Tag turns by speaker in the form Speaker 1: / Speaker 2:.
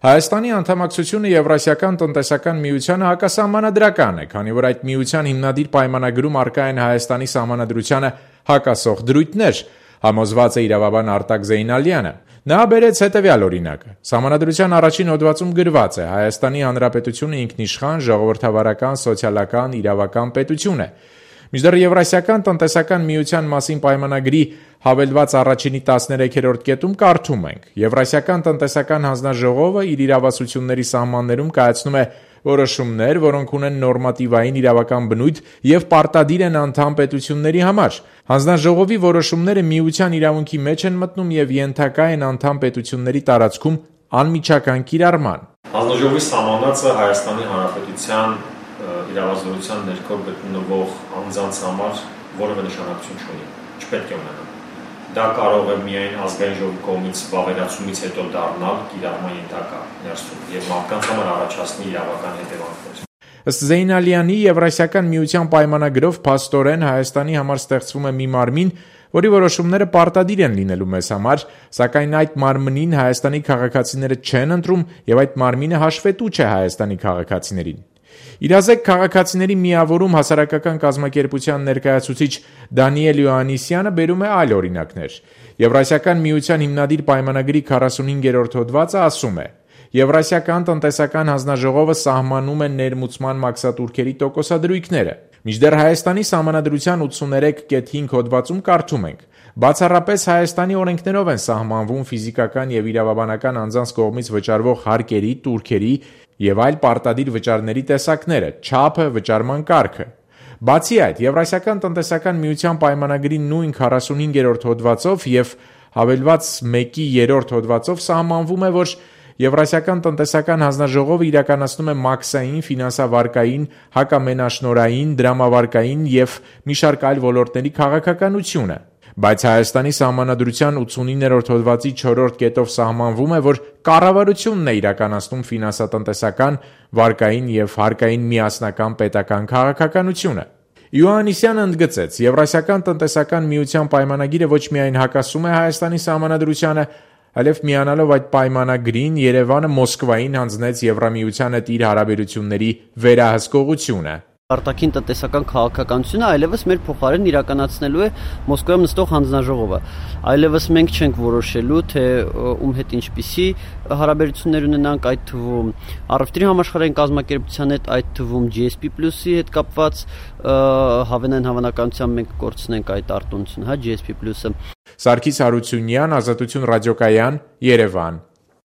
Speaker 1: Հայաստանի անդամակցությունը Եվրասիական տնտեսական միությանը հակասահմանադրական է, քանի որ այդ միության հիմնադիր պայմանագրում առկա են Հայաստանի սահմանադրությանը հակասող դրույթներ, համոզված է իրավաբան Արտակ Զեյնալյանը։ Նա բերեց հետևյալ օրինակը. Սահմանադրության առաջին հոդվածում գրված է. Հայաստանի Հանրապետությունը ինքնիշխան, ժողովրդավարական, սոցիալական, իրավական պետություն է։ Մինչդեռ Եվրասիական տնտեսական միության մասին պայմանագրի հավելված առաջինի 13-րդ կետում կարդում ենք. Եվրասիական տնտեսական հանձնաժողովը իր իրավասությունների սահմաններում կայացնում է որոշումներ, որոնք ունեն նորմատիվային իրավական բնույթ եւ պարտադիր են անդամ պետությունների համար։ Հանձնաժողովի որոշումները միության իրավունքի մեջ են մտնում եւ ենթակա են անդամ պետությունների տարածքում անմիջական կիրառման։
Speaker 2: Հանձնաժողովի սահմանածը Հայաստանի Հանրապետության իրավազորության ներքո գտնվող անձանց համար որևէ նշանակություն չունի, չպետք է ունենա։ Դա կարող է միայն ազգային ժողովի կողմից վավերացումից հետո դառնալ կիրառման ենթակա ներսում եւ մարդկանց համար առաջացնի իրավական հետևանքներ։
Speaker 1: Ըստ Զեյնալյանի, Եվրասիական միության պայմանագրով փաստորեն Հայաստանի համար ստեղծվում է մի մարմին, որի որոշումները պարտադիր են լինելու մեզ համար, սակայն այդ մարմնին Հայաստանի քաղաքացիները չեն ընտրում եւ այդ մարմինը հաշվետու չէ Հայաստանի քաղաքացիներին։ Իրազեկ քաղաքացիների միավորում հասարակական կազմակերպության ներկայացուցիչ Դանիել Յոհաննիսյանը բերում է այլ օրինակներ։ Եվրասիական միության հիմնադիր պայմանագրի 45-րդ հոդվածը ասում է. Եվրասիական տնտեսական հանձնաժողովը սահմանում է ներմուծման մաքսատուրքերի տոկոսադրույքները։ Մինչդեռ Հայաստանի սահմանադրության 83.5 հոդվածում կարդում ենք. Բացառապես Հայաստանի օրենքներով են սահմանվում ֆիզիկական եւ իրավաբանական անձանց կողմից վճարվող հարկերի, տուրքերի եւ այլ պարտադիր վճարների տեսակները, չափը, վճարման կարգը։ Բացի այդ, Եվրասիական տնտեսական միության պայմանագրի նույն 45-րդ հոդվածով եւ հավելված 1-րդ հոդվածով սահմանվում է, որ Եվրասիական տնտեսական հանձնաժողովը իրականացնում է մաքսային, ֆինանսավարկային, հակամենաշնորհային, դրամավարկային եւ մի շարք այլ ոլորտների քաղաքականությունը։ Բայց Հայաստանի սահմանադրության 89-րդ հոդվածի 4-րդ կետով սահմանվում է, որ կառավարությունն է իրականացնում ֆինանսատնտեսական, վարկային եւ հարկային միասնական պետական քաղաքականությունը։ Յոհաննիսյանը ընդգծեց. Եվրասիական տնտեսական միության պայմանագիրը ոչ միայն հակասում է Հայաստանի սահմանադրությանը, այլև միանալով այդ պայմանագրին Երևանը Մոսկվային հանձնեց Եվրամիության հետ իր հարաբերությունների վերահսկողությունը։
Speaker 3: Արտաքին տնտեսական քաղաքականությունը այլևս մեր փոխարեն իրականացնելու է Մոսկվայում նստող հանձնաժողովը։ Այլևս մենք չենք որոշելու, թե ում հետ ինչպիսի հարաբերություններ ունենանք, այդ թվում Առևտրի համաշխարհային կազմակերպության հետ, այդ թվում GSP+-ի հետ կապված հավանային հավանականությամբ մենք կորցնենք այդ արտոնությունը, GSP+-ը։
Speaker 1: Սարգիս Հարությունյան, Ազատություն ռադիոկայան, Երևան։